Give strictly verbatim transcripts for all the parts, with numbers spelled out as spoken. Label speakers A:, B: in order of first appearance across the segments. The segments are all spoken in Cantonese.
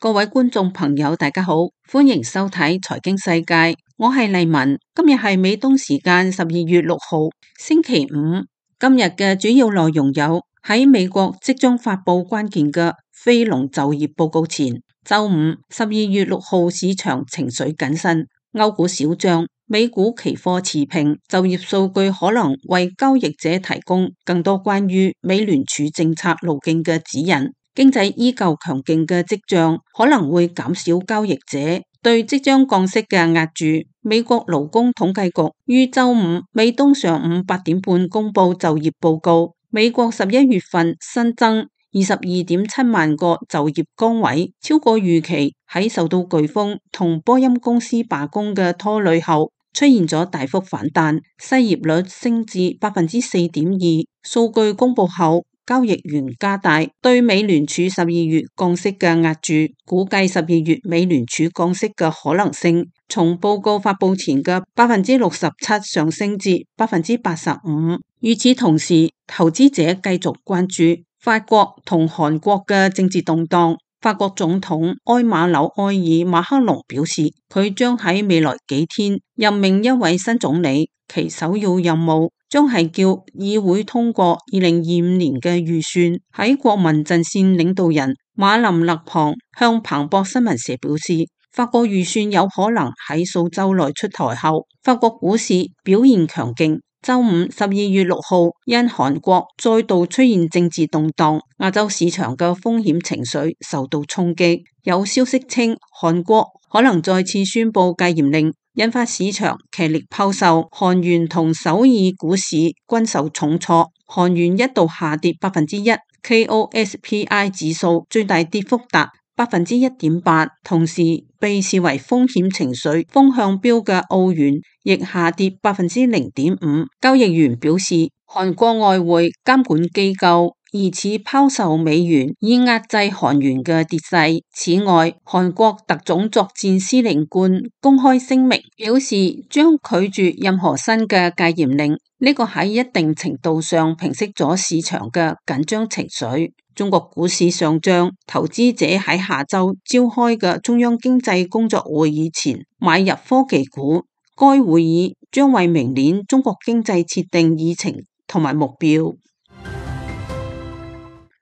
A: 各位觀眾朋友，大家好，歡迎收睇財經世界，我係麗文。今日係美東時間十二月六號，星期五。今日嘅主要內容有：喺美國即將發佈關鍵嘅非農就業報告前，周五十二月六號市場情緒謹慎，歐股小漲，美股期貨持平。就業數據可能為交易者提供更多關於美聯儲政策路徑嘅指引。經濟依舊強勁嘅跡象可能會減少交易者對即將降息嘅押注。美國勞工統計局於周五美東上午八點半公布就業報告，美國十一月份新增二十二點七萬個就業崗位，超過預期。喺受到颶風同波音公司罷工嘅拖累後，出現咗大幅反彈，失業率升至百分之四點二。數據公布後，交易員加大對美聯儲十二月降息嘅押注，估計十二月美聯儲降息嘅可能性從報告發佈前嘅百分之六十七上升至百分之八十五。與此同時，投資者繼續關注法國同韓國嘅政治動盪。法國總統埃馬紐埃爾馬克龍表示，佢將喺未來幾天任命一位新總理，其首要任務將係叫議會通過二零二五年嘅預算。喺國民陣線領導人馬林勒龐向彭博新聞社表示，法國預算有可能喺數週內出台後，法國股市表現強勁。周五十二月六號，因韓國再度出現政治動盪，亞洲市場嘅風險情緒受到衝擊。有消息稱，韓國可能再次宣布戒嚴令，引發市場劇烈拋售，韓元同首爾股市均受重挫，韓元一度下跌百分之一 ，K O S P I 指數最大跌幅達百分之一點八，同時被視為風險情緒風向標嘅澳元亦下跌百分之零點五。交易員表示，韓國外匯監管機構疑似拋售美元以壓制韓元嘅跌勢。此外，韓國特種作戰司令官公開聲明表示，將拒絕任何新嘅戒嚴令。呢個喺一定程度上平息咗市場嘅緊張情緒。中國股市上漲，投資者喺下周召開嘅中央經濟工作會議前買入科技股。該會議將為明年中國經濟設定議程同埋目標。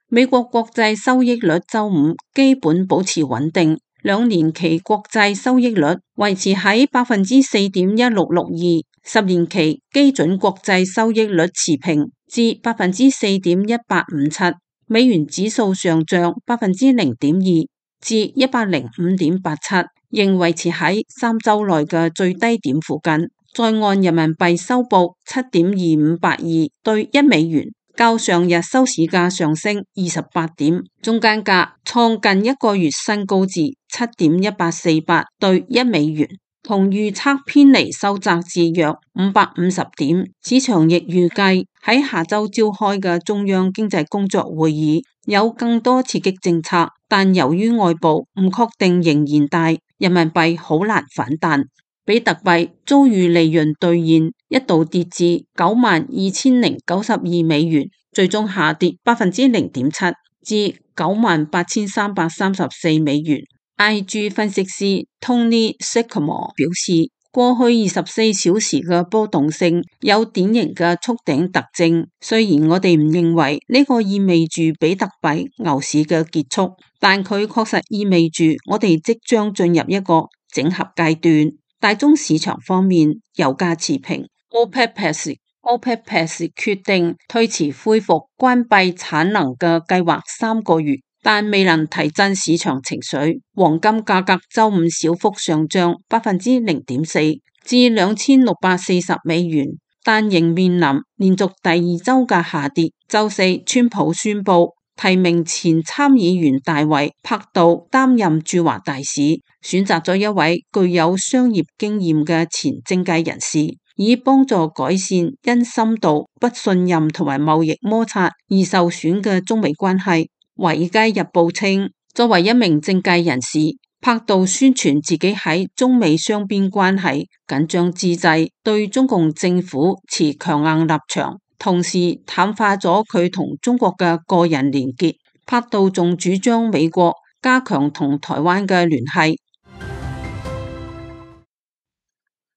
A: 美國國債收益率周五基本保持穩定，兩年期國債收益率維持喺百分之四點一六六二，十年期基準國債收益率持平至百分之四點一八五七。美元指數上漲百分之零點二至一百零五點八七，仍維持喺三周內嘅最低點附近。在岸人民幣收報七點二五八二兌一美元，較上日收市價上升二十八點，中間價創近一個月新高至七點一八四八兌一美元，同預測偏離收窄至約五百五十點。市場亦預計喺下周召開嘅中央經濟工作會議有更多刺激政策，但由於外部唔確定仍然大，人民幣好難反彈。比特幣遭遇利潤兌現，一度跌至九萬二千零九十二美元，最終下跌百分之零點七至九萬八千三百三十四美元。I G 分析師 Tony Sycamore 表示，過去二十四小時嘅波動性有典型嘅觸頂特徵，雖然我哋唔認為呢個意味住比特幣牛市嘅結束，但佢確實意味住我哋即將進入一個整合階段。大宗市場方面，油價持平。OPEC Plus OPEC Plus 決定推遲恢復關閉產能嘅計劃三個月，但未能提振市場情緒。黃金價格周五小幅上漲百分之零點四至兩千六百四十美元，但仍面臨連續第二週嘅下跌。週四，川普宣布提名前參議員大衛柏杜擔任駐華大使，選擇咗一位具有商業經驗嘅前政界人士，以幫助改善因深度不信任同埋貿易摩擦而受損嘅中美關係。華爾街日報稱，作為一名政界人士，柏杜宣傳自己喺中美雙邊關係緊張之際對中共政府持強硬立場，同時淡化咗佢同中國嘅個人連結。柏杜仲主張美國加強同台灣嘅聯繫。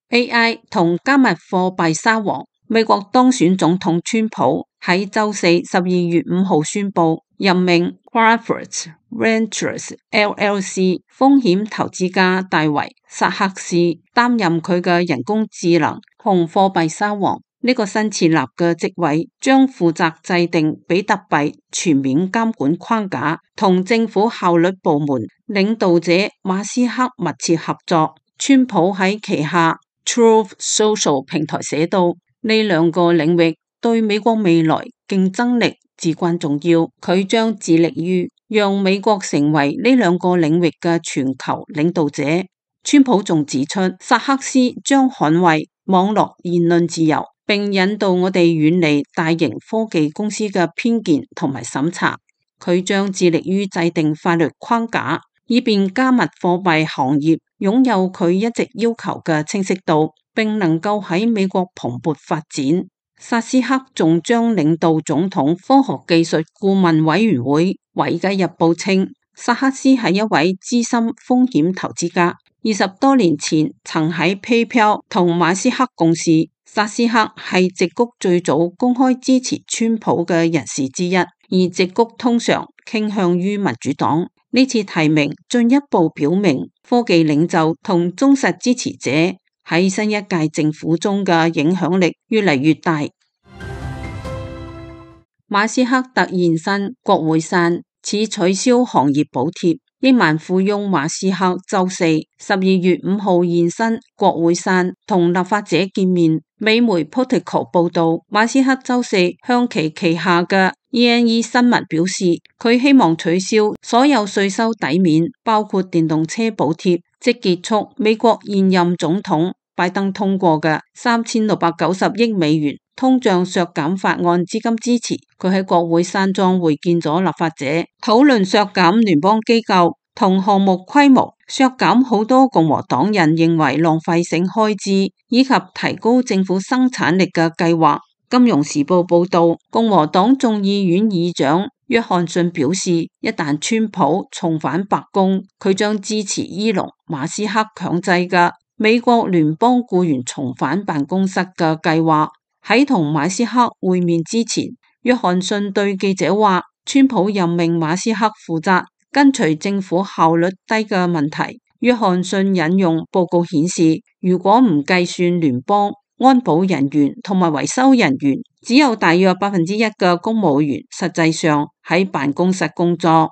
A: A I 同加密貨幣沙皇，美國當選總統川普喺周四十二月五號宣布任命 Crawford Ventures L L C 風險投資家戴維薩克斯擔任佢嘅人工智能同貨幣沙皇。呢個新設立嘅職位將負責制定比特幣全面監管框架，同政府效率部門領導者馬斯克密切合作。川普喺旗下 Truth Social 平台寫到，呢兩個領域對美國未來競爭力至關重要，佢將致力於讓美國成為呢兩個領域嘅全球領導者。川普仲指出，薩克斯將捍衛網絡言論自由，並引導我哋遠離大型科技公司嘅偏見同埋審查。佢將致力於制定法律框架，以便加密貨幣行業擁有佢一直要求嘅清晰度，並能夠喺美國蓬勃發展。薩斯克仲將領導總統科學技術顧問委員會。華爾街日報稱，薩克斯係一位資深風險投資家，二十多年前曾喺 PayPal 同馬斯克共事。薩斯克係矽谷最早公開支持川普嘅人士之一，而矽谷通常傾向於民主黨。呢次提名進一步表明科技領袖同忠實支持者喺新一屆政府中嘅影響力越嚟越大。馬斯克突現身國會山，似取消行業補貼。億萬富翁馬斯克周四十二月五號現身國會山，同立法者見面。美媒 Politico 報道，馬斯克周四向其旗下嘅 E N E 新聞表示，佢希望取消所有稅收抵免，包括電動車補貼，即結束美國現任總統拜登通過嘅三千六百九十億美元通脹削減法案資金支持。佢喺國會山莊會見咗立法者，討論削減聯邦機構同項目規模，削減好多共和黨人認為浪費性開支，以及提高政府生產力嘅計劃。金融時報報道，共和黨眾議院議長約翰遜表示，一旦川普重返白宮，佢將支持伊隆馬斯克強制嘅美國聯邦僱員重返辦公室嘅計劃。喺同馬斯克會面之前，約翰遜對記者話，川普任命馬斯克負責跟隨政府效率低嘅問題。約翰遜引用報告顯示，如果唔計算聯邦安保人員同埋維修人員，只有大約百分之一嘅公務員實際上喺辦公室工作。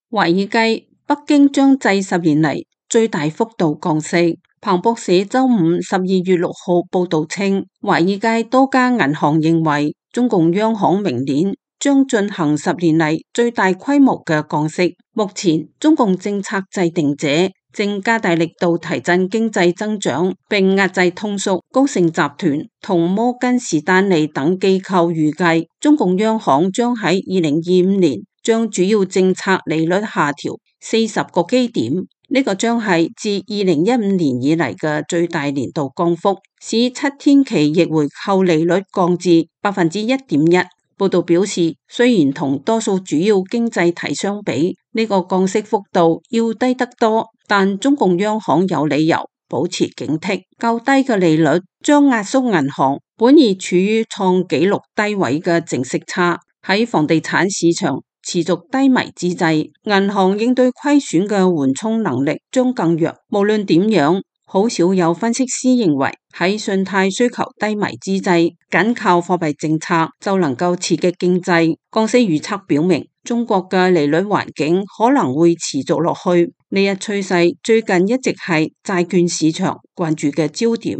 A: 華爾街，北京將制十年嚟最大幅度降息。彭博社周五十二月六號報道稱，華爾街多家銀行認為中共央行明年將進行十年嚟最大規模嘅降息。目前，中共政策制定者正加大力度提振經濟增長，並壓制通縮。高盛集團同摩根士丹利等機構預計，中共央行將喺二零二五年將主要政策利率下調四十個基點。呢個將係自二零一五年以嚟嘅最大年度降幅，使七天期逆回購利率降至百分之一點一。報道表示，雖然同多數主要經濟體相比，呢個降息幅度要低得多，但中共央行有理由保持警惕。較低嘅利率將壓縮銀行本已處於創紀錄低位嘅淨息差。喺房地產市場持續低迷之際，銀行應對虧損嘅緩衝能力將更弱。無論點樣，好少有分析師認為喺信貸需求低迷之際，僅靠貨幣政策就能夠刺激經濟。降息預測表明，中國嘅利率環境可能會持續落去。呢一趨勢最近一直係債券市場關注嘅焦點。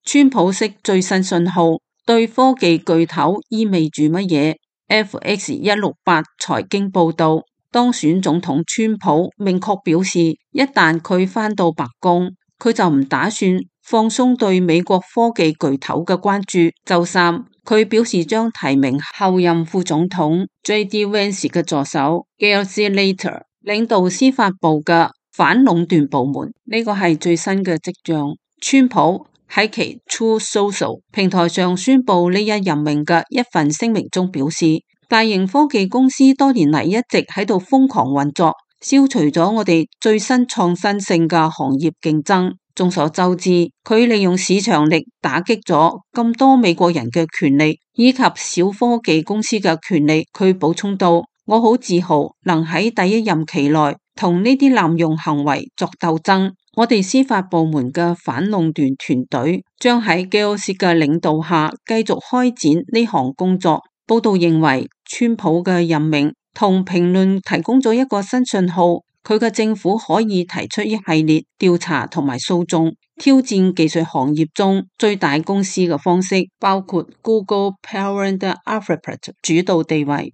A: 川普式最新信號對科技巨頭意味住乜嘢？F X 一六八財經報道，當選總統川普明確表示，一旦佢返到白宮，佢就唔打算放鬆對美國科技巨頭嘅關注。周三，佢表示將提名後任副總統 J D Vance 嘅助手 Gary Slater 領導司法部嘅反壟斷部門。呢個係最新嘅跡象。川普喺其 Truth Social 平台上宣布呢一任命嘅一份聲明中表示，大型科技公司多年嚟一直喺度瘋狂運作，消除咗我哋最新創新性嘅行業競爭。眾所周知，佢利用市場力打擊咗咁多美國人嘅權利，以及小科技公司嘅權利。佢補充到：我好自豪能喺第一任期內同呢啲濫用行為作鬥爭。我哋司法部門嘅反壟斷團隊將喺基奧斯嘅領導下繼續開展呢項工作。報道認為，川普嘅任命同評論提供咗一個新信號，佢嘅政府可以提出一系列調查同埋訴訟，挑戰技術行業中最大公司嘅方式，包括 Google Parent Alphabet 主導地位。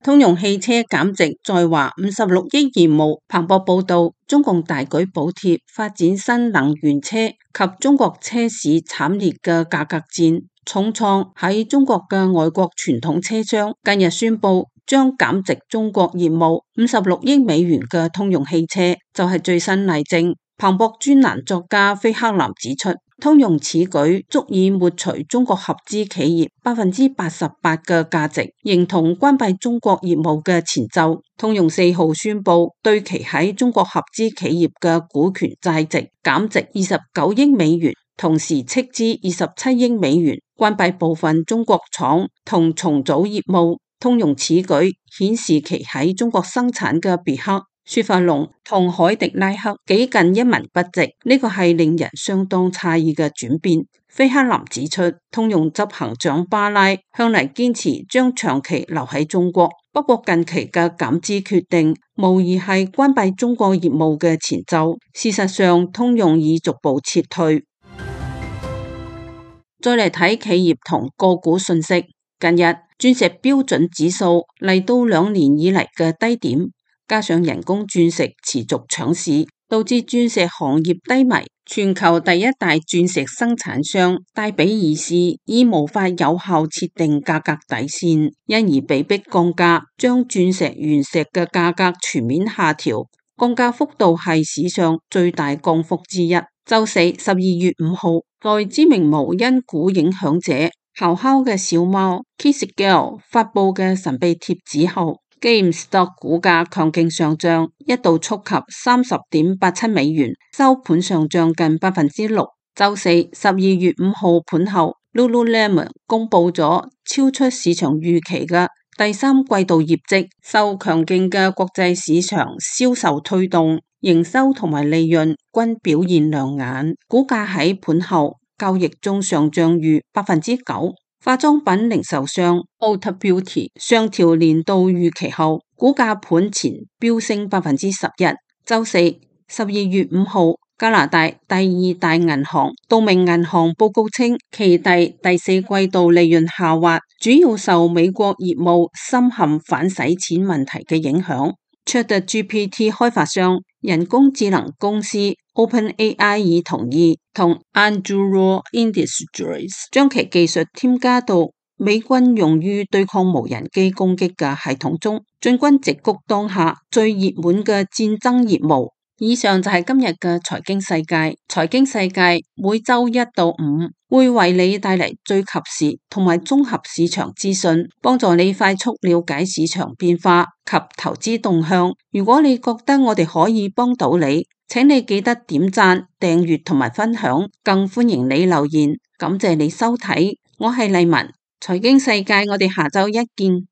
A: 通用汽車減值在華五十六億業務。彭博報道，中共大舉補貼發展新能源車及中國車市慘烈嘅價格戰，重創喺中國嘅外國傳統車商。近日宣布將減值中國業務五十六億美元嘅通用汽車就係最新例證。彭博專欄作家菲克南指出，通用此舉足以抹除中國合資企業百分之八十八嘅價值，形同關閉中國業務嘅前奏。通用四號宣布對其喺中國合資企業嘅股權債值減值二十九億美元，同時斥資二十七億美元關閉部分中國廠同重組業務。通用此舉顯示其喺中國生產嘅別克、雪佛龍同凱迪拉克幾近一文不值，呢個係令人相當詫異嘅轉變。菲克南指出，通用執行長巴拉向嚟堅持將長期留喺中國，不過近期嘅減資決定無疑係關閉中國業務嘅前奏。事實上，通用已逐步撤退。再嚟睇企業同個股信息，近日鑽石標準指數嚟到兩年以嚟嘅低點。加上人工鑽石持續搶市，導致鑽石行業低迷。全球第一大鑽石生產商戴比爾斯已無法有效設定價格底線，因而被迫降價，將鑽石原石嘅價格全面下調，降價幅度係史上最大降幅之一。周四十二月五號，在知名無因股影響者咆哮嘅小貓 Kissgale 發佈嘅神秘貼紙後，GameStop 股價強勁上漲，一度觸及三十點八七美元，收盤上漲近百分之六。周四十二月五號盤後 ，Lululemon 公布咗超出市場預期嘅第三季度業績，受強勁嘅國際市場銷售推動，營收同埋利潤均表現亮眼，股價喺盤後交易中上漲逾百分之九。化妝品零售商 Ulta Beauty 上調年度預期後，股價盤前飆升百分之十一。周四十二月五號，加拿大第二大銀行道明銀行報告稱，其第第四季度利潤下滑，主要受美國業務深陷反洗錢問題嘅影響。ChatGPT 開發商人工智能公司 OpenAI 已同意同 Anduril Industries 將其技術添加到美軍用於對抗無人機攻擊嘅系統中，進軍直谷當下最熱門嘅戰爭業務。以上就係今日嘅財經世界。財經世界每周一到五會為你帶嚟最及時同埋綜合市場資訊，幫助你快速了解市場變化及投資動向。如果你覺得我哋可以幫到你，請你記得點讚、訂閱同埋分享，更歡迎你留言。感謝你收睇，我係麗文，財經世界，我哋下周一見。